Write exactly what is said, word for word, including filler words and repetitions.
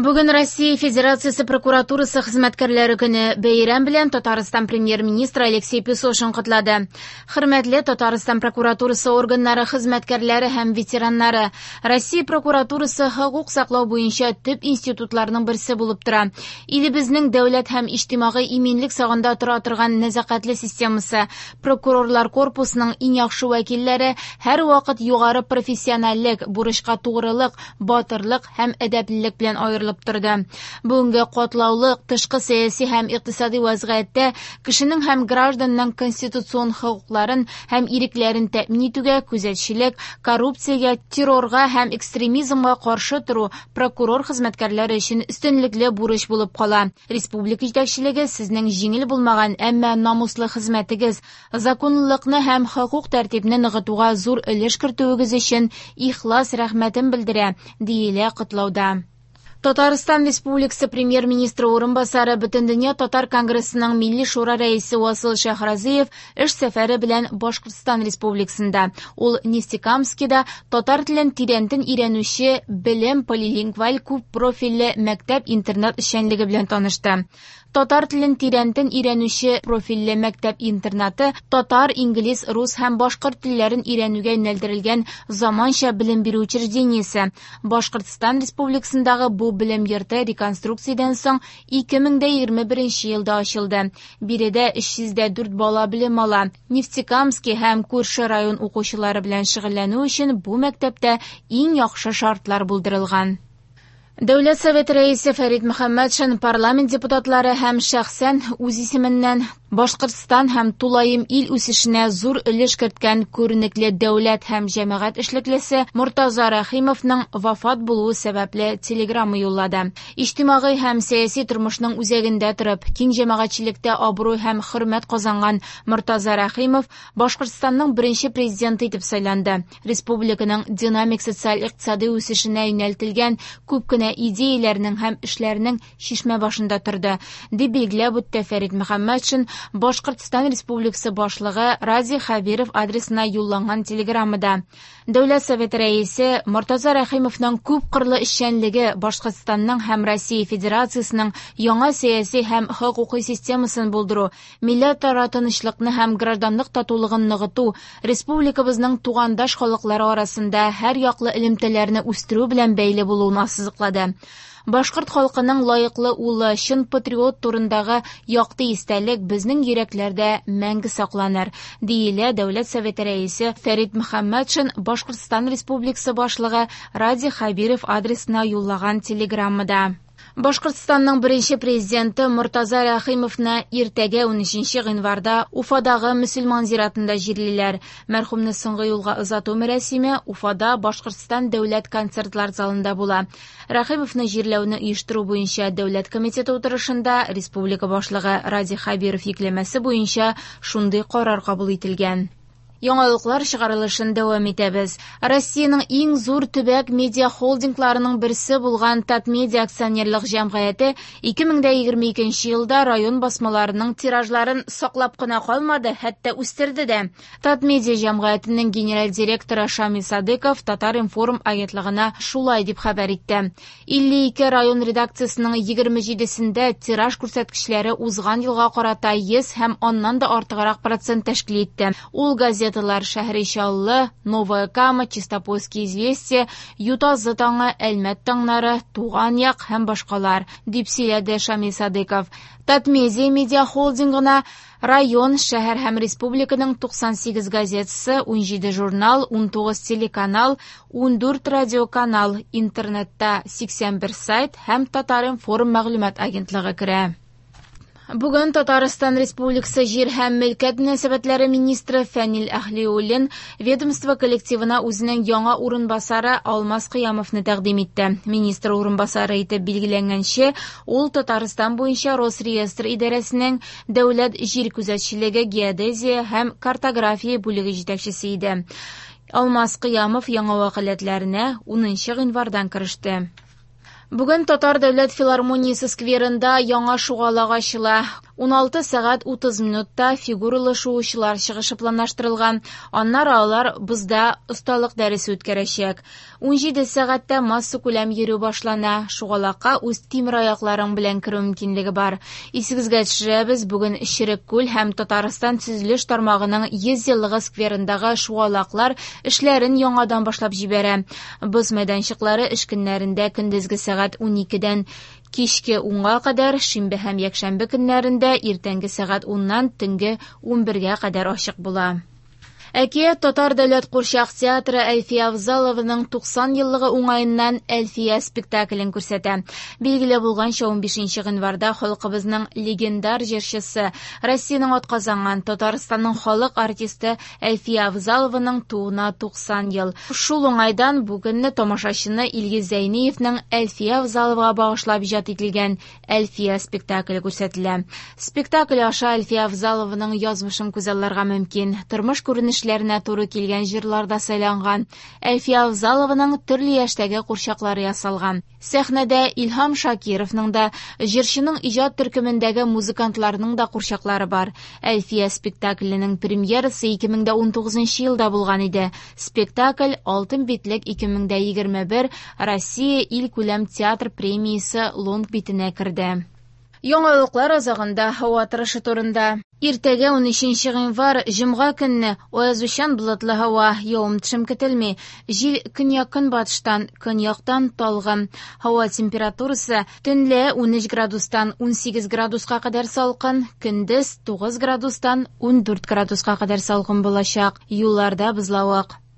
Бүген Россия Федерациясе прокуратурасы хезмәткәрләре көне. Бәйрәм белән Татарстан премьер-министры Алексей Песошин котлады. Хөрмәтле Татарстан прокуратурасы органнары хезмәткәрләре һәм ветераннары, Россия прокуратурасы хокук саклау буенча төп институтларның берсе булып тора. Илебезнең дәүләт һәм иҗтимагый иминлек сагында тора торган нәзакәтле системасы, прокурорлар корпусының иң яхшы вәкилләре һәрвакыт югары профессиональлек, бурычка тугрылык, батырлык һәм әдәплелек белән аерыла торды. Бүгенге катлаулы тышкы сәяси һәм икътисади вазгыятьтә кешенең һәм гражданның конституцион хокукларын һәм ирекләрен тәэмин итүгә күзәтчелек, коррупциягә, террорга һәм экстремизмга каршы тору прокурор хезмәткәрләре өчен өстенлекле бурыч булып кала. Республика җитәкчелеге сезнең җиңел булмаган, әмма намуслы хезмәтегез, законлылыкны һәм хокук тәртибен ныгытуга зур өлеш кертүегез өчен ихлас рәхмәтен белдерә, диелә котлауда. Татарстан Республикасы премьер-министры урынбасары, Бөтендөнья татар конгрессының Милли шура рәисе Васил Шәйхразиев эш сәфәре белән Башкортстан Республикасында. Ул Нефтекамскида татар телен тирәнтен өйрәнүче Белем полилингваль күп профильле мәктәп-интернат эшчәнлеге белән танышты. Татар телен тирәнтен өйрәнүче профильле мәктәп-интернаты татар, инглиз, рус һәм башкорт телләрен өйрәнүгә юнәлдерелгән заманча белем бирү учреждениесе. Башкортстан Республикасындагы бу белем йорты реконструкциядән соң ике мең дә егерме беренче елда ачылды. Биредә өч йөз дә дүрт бала белем ала. Нефтекамский һәм күрше район укучылары белән шөгыльләнү өчен бу мәктәптә иң яхшы шартлар булдырылган. Дәүләт Советы рәисе Фәрит Мөхәммәтшин парламент депутатлары һәм шәхсән үз исеменнән Башкортстан һәм тулаем ил үсешенә зур өлеш керткән күренекле дәүләт һәм җәмәгать эшлеклесе Мортаза Рәхимовның вафат булуы сәбәпле телеграмма юллады. Иҗтимагый һәм сәяси тормышның үзәгендә торып, киң җәмәгатьчелектә абруй һәм хөрмәт казанган Мортаза Рәхимов Башкортстанның беренче президенты итеп сайланды. Республиканың динамик социаль-икътисади үсешенә юнәлтелгән күп кенә идеяләрнең һәм эшләрнең чишмә башында торды, дип билгеләп үтте Фәрит Мөхәммәтшин Башкортстан Республикасы башлыгы Радий Хәбиров адресына юлланган телеграммада. Дәүләт Советы рәисе Мортаза Рәхимовның күп кырлы эшчәнлеге Башкортстанның һәм Россия Федерациясенең яңа сәяси һәм хокукый системасын булдыру, милләтара тынычлыкны һәм гражданлык татулыгын ныгыту, республикабызның тугандаш халыклары арасында һәр яклы элемтәләрне үстерү белән бәйле булуын ассызыклады. Башкорт халкының лаеклы улы, чын патриот турындагы якты истәлек безнең йөрәкләрдә мәңге сакланыр, диелә Дәүләт Советы рәисе Фәрит Мөхәммәтшин Башкортстан Республикасы башлыгы Радий Хәбиров адресына юллаган телеграммада. Башкортстанның беренче президенты Мортаза Рәхимовны иртәгә унөченче гыйнварда Уфадагы мөселман зиратында җирлиләр. Мәрхүмне соңгы юлга озату мәрасиме Уфада Башкортстан дәүләт концертлар залында була. Рәхимовны җирләүне оештыру буенча дәүләт комитеты утырышында республика башлыгы Радий Хәбиров йөкләмәсе буенча шундый карар кабул ителгән. Яңалыклар чыгарылышын дәвам итәбез. Россиянең иң зур төбәк медиа холдингларының берсе булган Татмедиа акционерлык җәмгыяте ике мең дә егерме икенче елда район басмаларының тиражларын саклап кына калмады, хәтта үстерде дә. Татмедиа җәмгыятенең генераль директоры Шамил Садыков Татар-информ агентлыгына шулай дип хәбәр итте. илле ике район редакциясенең егерме җидесендә тираж күрсәткечләре узган елга карата йөз һәм аннан да артыграк процент тәшкил итте. Ул газета Шәһри Чаллы, Новая Кама, Чистопольские известия, Ютазы таңы, Әлмәт таңнары, Туган як һәм башкалар, дип сөйләде Шамил Садыков. Татмедиа медиа холдингына район, шәһәр һәм республиканың туксан сигез газетасы, унҗиде журнал, унтугыз телеканал, ундүрт радиоканал, интернетта сиксән бер сайт һәм Татар-информ мәгълүмат агентлыгы керә. Бүген Татарстан Республикасы җир һәм мөлкәт мөнәсәбәтләре министры Фәнил Әһлиуллин ведомство коллективына үзенең яңа урынбасары Алмаз Кыямовны тәкъдим итте. Министр урынбасары итеп билгеләнгәнче, ул Татарстан буенча Росреестр идарәсенең дәүләт җир күзәтчелеге, геодезия һәм картография бүлеге җитәкчесе иде. Алмаз Кыямов яңа вәкаләтләренә унынчы гыйнвардан кереште. Бүген Татар дәүләт филармониясе скверында яңа шугалак ачыла. Уналты сәгать утыз минутта фигуралы шуучылар чыгышы планлаштырылган. Аннары алар бозда осталык дәресе үткәрәчәк. Унҗиде сәгатьтә массакүләм йөрү башлана. Шугалакка үз тимераякларың белән керү мөмкинлеге бар. Исегезгә төшерәбез, бүген Черек күл һәм Татарстан төзелеш тармагының йөз еллыгы скверындагы шугалаклар эшләрен яңадан башлап җибәрә. Боз мәйданчыклары эш көннәрендә көндезге сәгать уникедән кичке унга кадәр, шимбә һәм якшәмбе көннәрендә иртәнге сәгать уннан төнге унбергә кадәр ачык була. Әкият Татар дәүләт курчак театры Әлфия Авзалованың туксан еллыгы уңаеннан Әлфия спектаклен күрсәтә. Билгеле булганча, унбишенче гыйнварда халкыбызның легендар җырчысы, Россиянең атказанган Татарстанның халык артисты Әлфия Авзалованың тууына туксан ел. Шул уңайдан бүгенне тамашачыны Илгиз Зәйниевның Әлфия Авзаловага багышлап иҗат ителгән Әлфия спектакле күрсәтелә. Спектакль аша Әлфия Авзалованың язмышын күзалларга мөмкин. Тормыш күренешләренә туры килгән җырлар да сайланган. Әлфия Авзалованың төрле яшьтәге курчаклары ясалган. Сәхнәдә Илһам Шакировның да, җырчының иҗат төркемендәге музыкантларның да курчаклары бар. Әлфия спектакленең премьерасы ике мең дә унтугызынчы елда булган иде. Спектакль Алтын битлек ике мең дә егерме бер Россия илкүләм театр премиясе лонг битенә керде. Яңалыклар азагында һава торышы турында. Иртәгә унөченче гыйнвар җомга көнне аязучан болытлы һава, явым-төшем көтелми. Җил көньяк-көнбатыштан, көньяктан талгын. Һава температурасы төнлә унөч градустан унсигез градуска кадәр салкын, көндез тугыз градустан ундүрт градуска кадәр салкын булачак. Юлларда бозлавык.